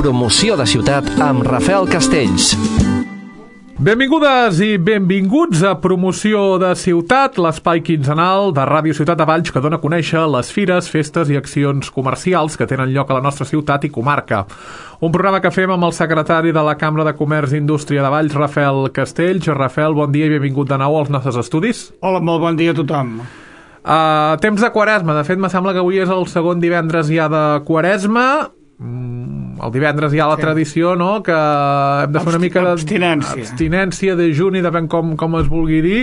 Promoció de ciutat amb Rafael Castells. Benvingudes i benvinguts a Promoció de Ciutat, l'espai quinzenal de Ràdio Ciutat de Valls que dona a conèixer les fires, festes i accions comercials que tenen lloc a la nostra ciutat i comarca. Un programa que fem amb el secretari de la Cambra de Comerç i Indústria de Valls, Rafael Castells. Rafael, bon dia i benvingut de nou als nostres estudis. Hola, molt bon dia a tothom. Temps de Quaresma. De fet, me sembla que avui és el segon divendres ja de Quaresma. El divendres hi ha la tradició, no?, que hem de fer una mica d'abstinència de juni, depèn com es vulgui dir.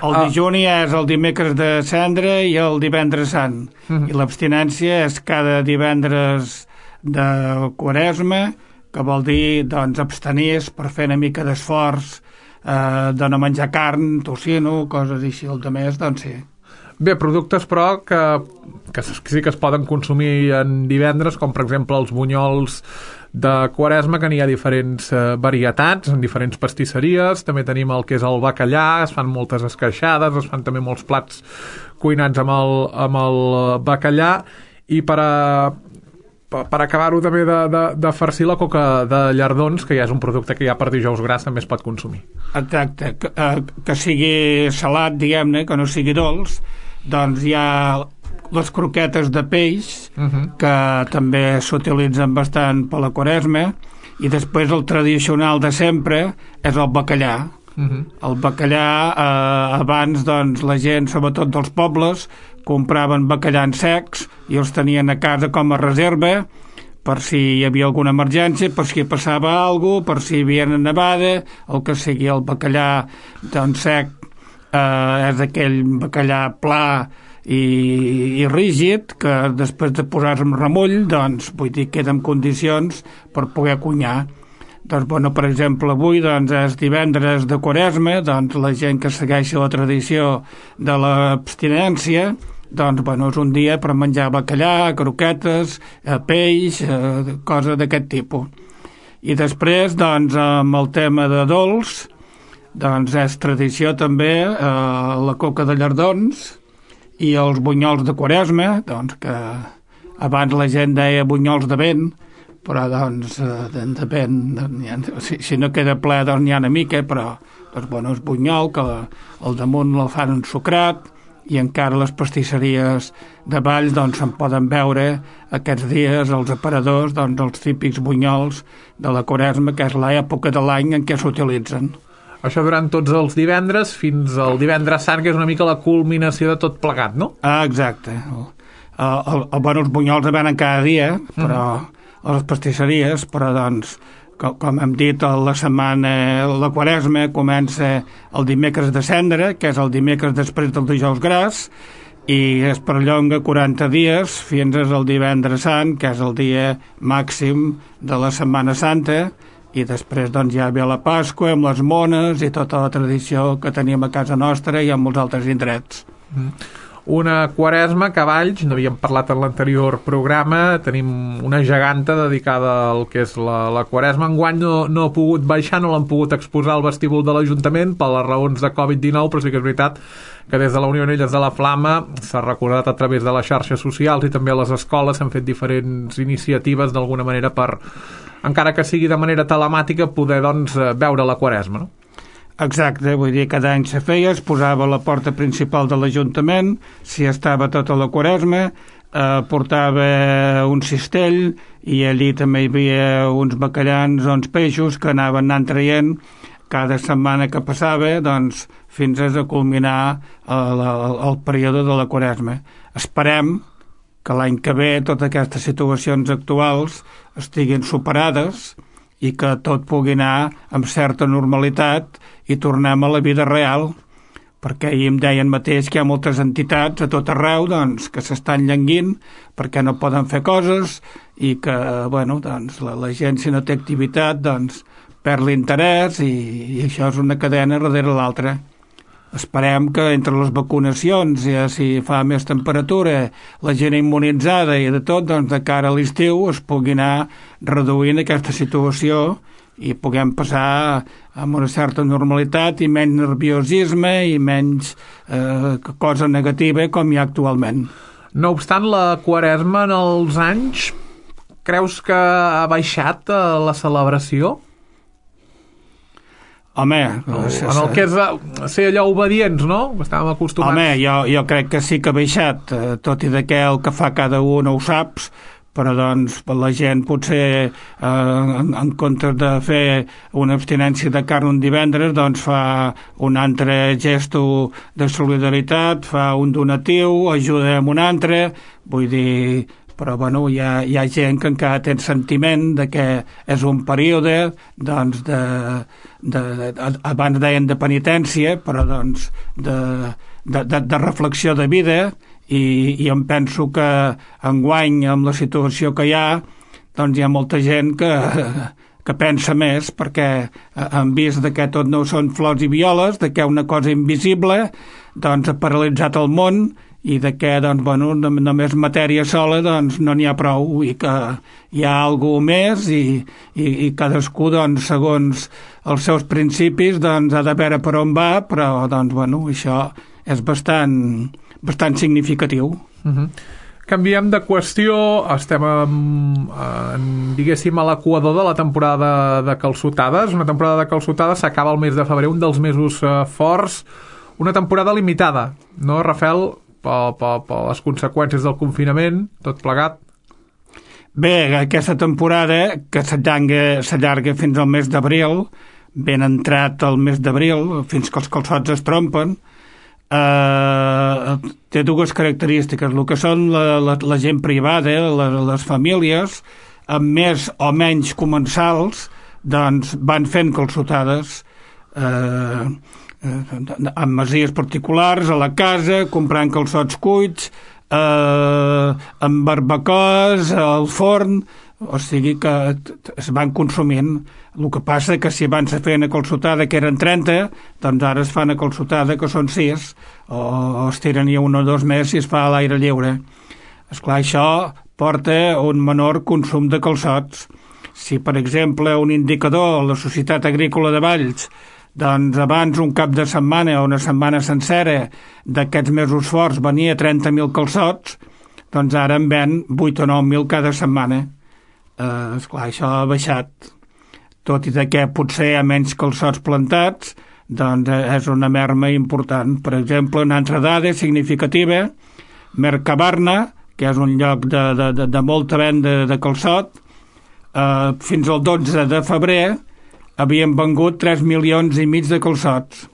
El dijuni és el dimecres de cendra i el divendres sant. I l'abstinència és cada divendres de Quaresma, que vol dir, doncs, abstenir-se per fer una mica d'esforç de no menjar carn, tocino, coses així. El de més, doncs sí. Bé, productes, però, que sí que es poden consumir en divendres, com per exemple els bunyols de Quaresma, que n'hi ha diferents varietats, en diferents pastisseries. També tenim el que és el bacallà, es fan moltes esqueixades, es fan també molts plats cuinats amb el bacallà, i per acabar-ho també de farcir la coca de llardons, que ja és un producte que ja per dijous gras també es pot consumir. Exacte, que sigui salat, diguem-ne, que no sigui dolç. Doncs hi ha les croquetes de peix, que també s'utilitzen bastant per la Quaresma, i després el tradicional de sempre és el bacallà. El bacallà, abans, doncs, la gent, sobretot dels pobles, compraven bacallà en secs i els tenien a casa com a reserva per si hi havia alguna emergència, per si passava alguna cosa, per si hi havia una nevada, el que sigui. El bacallà, doncs, sec és aquell bacallà pla i rígid que després de posar-se en remull, doncs, vull dir, queda en condicions per poder cuinar. Doncs, bueno, per exemple, avui, doncs, és divendres de Quaresma, doncs, la gent que segueix la tradició de l'abstinència, doncs, bueno, és un dia per menjar bacallà, croquetes, peix, coses d'aquest tipus. I després, doncs, amb el tema de dolç, doncs és tradició també la coca de llardons i els bunyols de Quaresma, doncs, que abans la gent deia bunyols de vent, però doncs depèn, si no queda ple doncs n'hi ha una mica, però doncs, bueno, és bunyol, que al damunt el fan ensucrat, i encara les pastisseries de Valls doncs se'n poden veure aquests dies els aparadors, doncs els típics bunyols de la Quaresma, que és l'època de l'any en què s'utilitzen. Això durant tots els divendres fins al divendres sant, que és una mica la culminació de tot plegat, no? Exacte. Bueno, els bunyols venen cada dia, però a les pastisseries, però doncs, com hem dit, la setmana, la Quaresma comença el dimecres de cendra, que és el dimecres després del dijous gras, i es perllonga 40 dies fins al divendres sant, que és el dia màxim de la Setmana Santa, i després doncs ja ve la Pasqua amb les mones i tota la tradició que tenim a casa nostra i en molts altres indrets. Una Quaresma que a Valls, n'havíem parlat en l'anterior programa, tenim una geganta dedicada al que és la Quaresma. Enguany no ha pogut baixar, no l'han pogut exposar al vestíbul de l'Ajuntament per les raons de Covid-19, però sí que és veritat que des de la Unió Anelles de la Flama s'ha recordat a través de les xarxes socials i també a les escoles s'han fet diferents iniciatives d'alguna manera per, encara que sigui de manera telemàtica, poder doncs veure la Quaresma, no? Exacte, vull dir, cada any se feia, es posava a la porta principal de l'Ajuntament, si estava tota la Quaresma, portava un cistell i allí també hi havia uns bacallans o uns peixos que anaven traient cada setmana que passava, doncs, fins a culminar el període de la Quaresma. Esperem que l'any que ve totes aquestes situacions actuals estiguin superades i que tot pugui anar amb certa normalitat i tornem a la vida real, perquè ahir em deien mateix que hi ha moltes entitats a tot arreu doncs, que s'estan llenguint perquè no poden fer coses i que bueno, doncs, la gent si no té activitat doncs, perd l'interès i això és una cadena darrere l'altra. Esperem que entre les vacunacions, ja si fa més temperatura, la gent immunitzada i de tot, doncs de cara a l'estiu es pugui anar reduint aquesta situació i puguem passar amb una certa normalitat i menys nerviosisme i menys cosa negativa com hi ha actualment. No obstant, la Quaresma en els anys creus que ha baixat la celebració? Home, en el que és ser allò obedients, no? Estàvem acostumats. Home, jo crec que sí que ha baixat, tot i que el que fa cada un no ho saps, però doncs la gent potser en comptes de fer una abstinència de carn un divendres doncs fa un altre gesto de solidaritat, fa un donatiu, ajuda amb un altre, vull dir, però bueno, hi ha gent que encara té el sentiment de que és un període doncs abans deien de penitència, però doncs de reflexió de vida, i em penso que enguany amb la situació que hi ha doncs hi ha molta gent que pensa més, perquè han vist que tot no són flors i violes, de que una cosa invisible doncs ha paralitzat el món i de que doncs, bueno, només matèria sola doncs, no n'hi ha prou i que hi ha alguna més i cadascú doncs, segons els seus principis doncs, ha de veure per on va, però doncs, bueno, això és bastant significatiu. Canviem de qüestió, estem diguéssim a l'equador de la temporada de calçotades. Una temporada de calçotades s'acaba el mes de febrer, un dels mesos forts, una temporada limitada, no, Rafael, per les conseqüències del confinament, tot plegat? Bé, aquesta temporada, que s'allarga fins al mes d'abril, ben entrat el mes d'abril, fins que els calçots es trompen, té dues característiques. El que són la gent privada, les famílies, amb més o menys comensals, doncs van fent calçotades amb masies particulars, a la casa, comprant calçots cuits, amb barbacoes, al forn, o sigui que es van consumint. El que passa que si abans se feien a calçotada que eren 30, doncs ara es fan a calçotada que són 6, o es tiren ja 1 o 2 més si es fa a l'aire lliure. Esclar, això porta un menor consum de calçots. Si, per exemple, un indicador, la Societat Agrícola de Valls, doncs abans un cap de setmana o una setmana sencera d'aquests mesos forts venia 30.000 calçots, doncs ara en ven 8 o 9.000 cada setmana. Esclar, això ha baixat. Tot i que potser hi ha menys calçots plantats, doncs és una merma important. Per exemple, una altra dada significativa, Mercabarna, que és un lloc de molta venda de calçot, fins al 12 de febrer havien vengut 3,5 milions de calçots,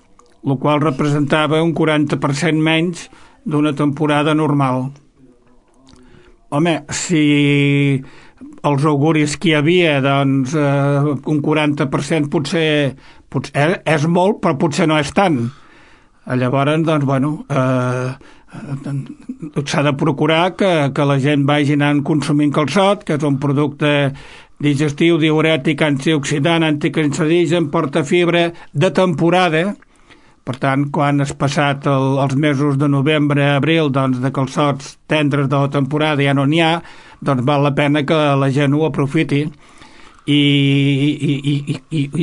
el qual representava un 40% menys d'una temporada normal. Home, si els auguris que hi havia, doncs un 40% potser és molt, però potser no és tant. Llavors, doncs, bueno, s'ha de procurar que la gent vagi anant consumint calçot, que és un producte digestiu, diurètic, antioxidant, anticancerigen, porta fibra de temporada. Per tant, quan has passat els mesos de novembre a abril, doncs de calçots tendres de la temporada ja no n'hi ha, doncs val la pena que la gent ho aprofiti. I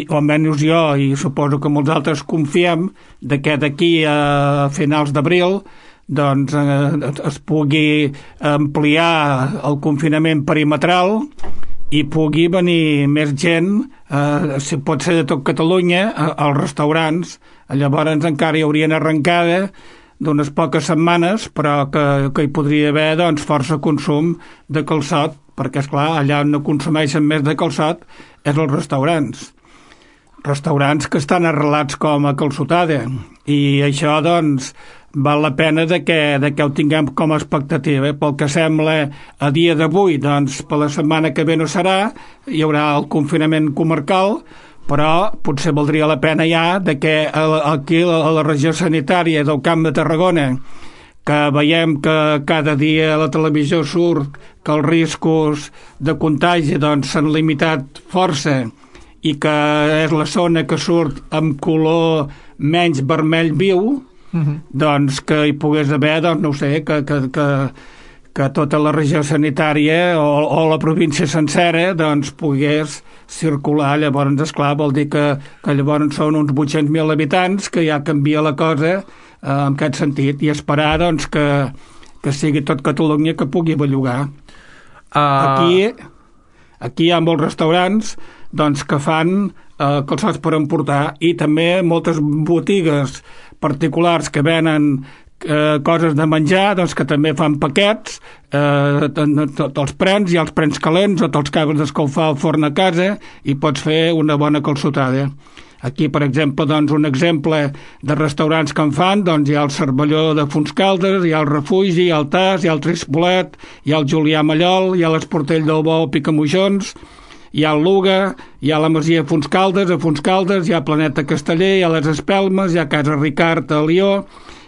almenys jo, i suposo que molts altres confiem de que d'aquí a finals d'abril doncs es pugui ampliar el confinament perimetral i pugui venir més gent, si pot ser de tot Catalunya, als restaurants. Llavors encara hi haurien arrencada d'unes poques setmanes, però que hi podria haver doncs, força consum de calçot, perquè, esclar, allà on no consumeixen més de calçot és els restaurants. Restaurants que estan arrelats com a calçotada. I això, doncs, val la pena de que ho tinguem com a expectativa. Pel que sembla a dia d'avui, doncs per la setmana que ve no serà, hi haurà el confinament comarcal, però potser valdria la pena ja de que aquí a la regió sanitària del Camp de Tarragona, que veiem que cada dia a la televisió surt que els riscos de contagi doncs s'han limitat força i que és la zona que surt amb color menys vermell viu, doncs que hi pogués haver, doncs no ho sé, que tota la regió sanitària o la província sencera doncs pogués circular. Llavors, esclar, vol dir que llavors són uns 800.000 habitants, que ja canvia la cosa en aquest sentit, i esperar doncs que sigui tot Catalunya que pugui bellugar. Aquí Aquí hi ha molts restaurants doncs, que fan calçots per emportar i també moltes botigues particulars que venen coses de menjar, doncs que també fan paquets, te'ls prens, hi ha els prens calents o te'ls acabes d'escalfar al forn a casa i pots fer una bona calçotada. Aquí, per exemple, doncs, un exemple de restaurants que en fan, doncs hi ha el Cervelló de Fontscaldes, hi ha el Refugi, hi ha el Tas, hi ha el Trispolet, hi ha el Julià Mallol, hi ha l'Esportell del Bou Picamoixons, hi ha el Luga, hi ha la Masia Fontscaldes, a Fontscaldes, hi ha Planeta Casteller, hi ha les Espelmes, hi ha Casa Ricard a Lió,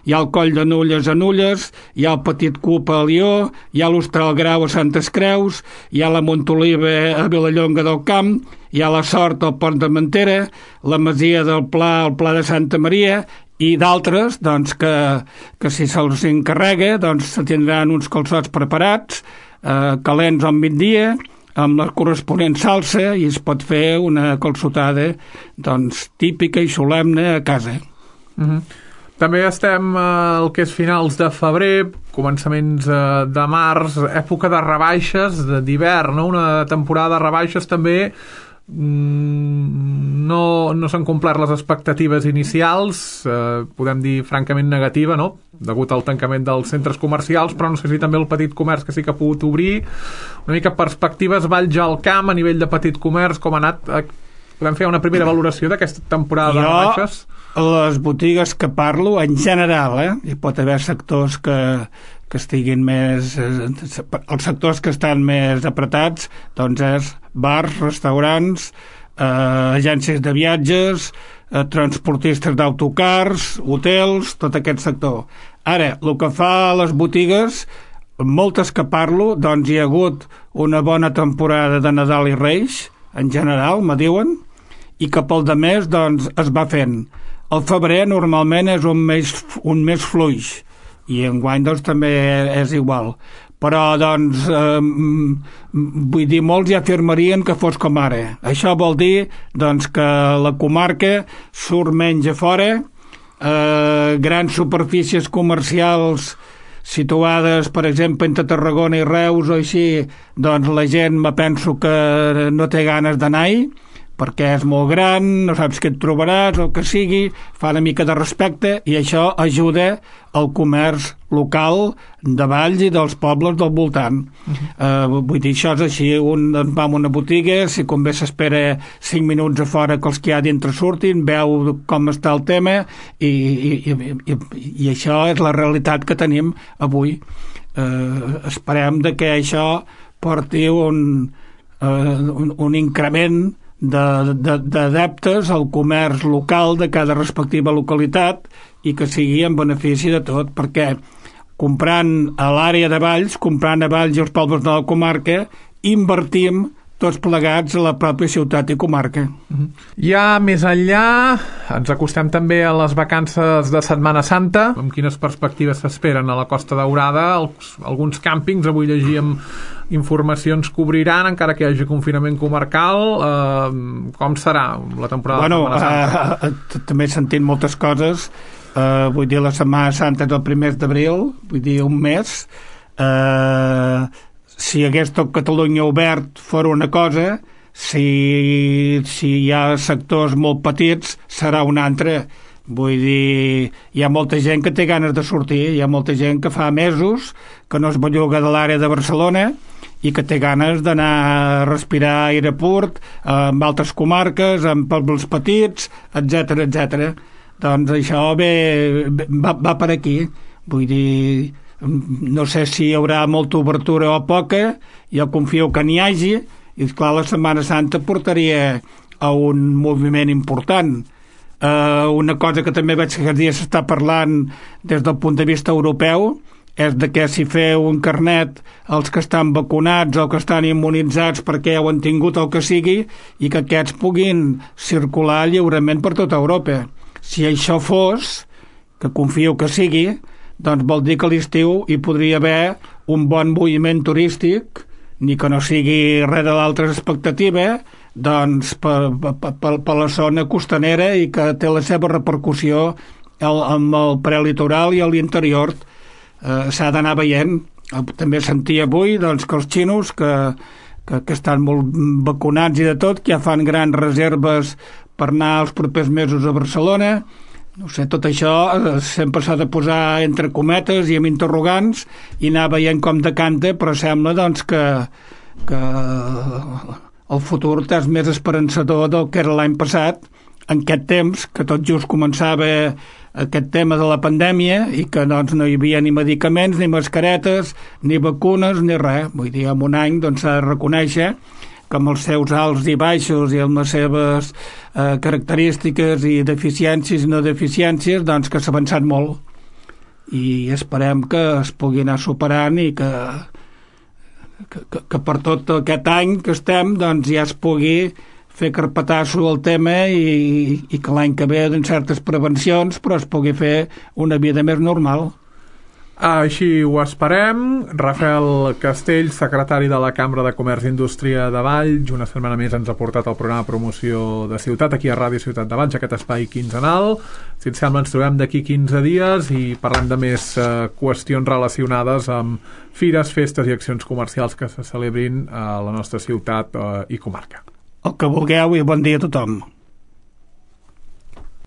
hi ha el Coll de Nulles a Nulles, hi ha el Petit Cup a Lió, hi ha l'Hostal Grau a Santes Creus, hi ha la Montoliva a Vilallonga del Camp, hi ha la Sort al Pont de Mentera, la Masia del Pla al Pla de Santa Maria i d'altres doncs, que si se'ls encarrega doncs, se tindran uns calçots preparats, calents al migdia, amb la corresponent salsa i es pot fer una calçotada doncs, típica i solemne a casa. També estem al que és finals de febrer, començaments de març, època de rebaixes, d'hivern, no? Una temporada de rebaixes també no s'han complert les expectatives inicials, podem dir francament negativa, no? Degut al tancament dels centres comercials, però no sé si també el petit comerç que sí que ha pogut obrir. Una mica perspectives Valls al Camp a nivell de petit comerç, com ha anat? Podem fer una primera valoració d'aquesta temporada de rebaixes? Les botigues que parlo, en general, hi pot haver sectors que estiguin més... Els sectors que estan més apretats, doncs és bars, restaurants, agències de viatges, transportistes d'autocars, hotels, tot aquest sector. Ara, el que fa a les botigues, moltes que parlo, doncs hi ha hagut una bona temporada de Nadal i Reis, en general, me diuen, i que pel de més doncs, es va fent. El febrer normalment és un mes fluix i enguany doncs, també és igual. Però doncs, vull dir, molts ja afirmarien que fos com ara. Això vol dir doncs, que la comarca surt menys a fora, grans superfícies comercials situades, per exemple, entre Tarragona i Reus o així, doncs la gent me penso que no té ganes d'anar-hi, perquè és molt gran, no saps què et trobaràs, el que sigui, fa una mica de respecte i això ajuda al comerç local de Valls i dels pobles del voltant. Vull dir, això és així, un va a una botiga, si convé s'espera 5 minuts a fora que els que hi ha dintre surtin, veu com està el tema i això és la realitat que tenim avui. Esperem que això porti un increment d'adeptes al comerç local de cada respectiva localitat i que sigui en benefici de tot, perquè comprant a l'àrea de Valls, comprant a Valls i els pobles de la comarca, invertim tots plegats a la pròpia ciutat i comarca. Ja més enllà, ens acostem també a les vacances de Setmana Santa. Amb quines perspectives s'esperen a la Costa Daurada? Alguns càmpings, avui llegíem informacions que obriran, encara que hi hagi confinament comarcal. Com serà la temporada de Setmana Santa? També he sentit moltes coses. Vull dir, la Setmana Santa és el 1 d'abril, vull dir, un mes. Si hagués tot Catalunya obert fora una cosa, si hi ha sectors molt petits serà una altra. Vull dir, hi ha molta gent que té ganes de sortir, hi ha molta gent que fa mesos que no es belluga de l'àrea de Barcelona i que té ganes d'anar a respirar aire pur en altres comarques, en pobles petits, etc. Doncs això va per aquí. Vull dir, no sé si hi haurà molta obertura o poca, jo confio que n'hi hagi, i esclar, la Setmana Santa portaria a un moviment important. Una cosa que també veig que aquests dies s'està parlant des del punt de vista europeu és de que si feu un carnet els que estan vacunats o que estan immunitzats perquè ja ho han tingut el que sigui i que aquests puguin circular lliurement per tota Europa. Si això fos, que confio que sigui, doncs vol dir que a l'estiu hi podria haver un bon moviment turístic, ni que no sigui res de l'altra expectativa, doncs per la zona costanera i que té la seva repercussió amb el prelitoral i a l'interior. S'ha d'anar veient. També sentia avui doncs, que els xinos que que estan molt vacunats i de tot, que ja fan grans reserves per anar els propers mesos a Barcelona. No sé, tot això sempre s'ha de posar entre cometes i amb interrogants i anar veient com decanta, però sembla doncs que el futur és més esperançador del que era l'any passat, en aquest temps que tot just començava aquest tema de la pandèmia i que doncs, no hi havia ni medicaments, ni mascaretes, ni vacunes, ni res. Vull dir, en un any doncs, s'ha de reconèixer que amb els seus alts i baixos i amb les seves característiques i deficiències i no deficiències, doncs que s'ha avançat molt. I esperem que es pugui anar superant i que per tot aquest any que estem doncs ja es pugui fer carpetasso al tema i que l'any que ve en certes prevencions però es pugui fer una vida més normal. Així ho esperem. Rafael Castells, secretari de la Cambra de Comerç i Indústria de Valls, una setmana més ens ha portat el programa de promoció de ciutat aquí a Ràdio Ciutat de Valls, aquest espai quinzenal. Si et sembla ens trobem d'aquí 15 dies i parlem de més qüestions relacionades amb fires, festes i accions comercials que se celebrin a la nostra ciutat i comarca. El que vulgueu i bon dia a tothom.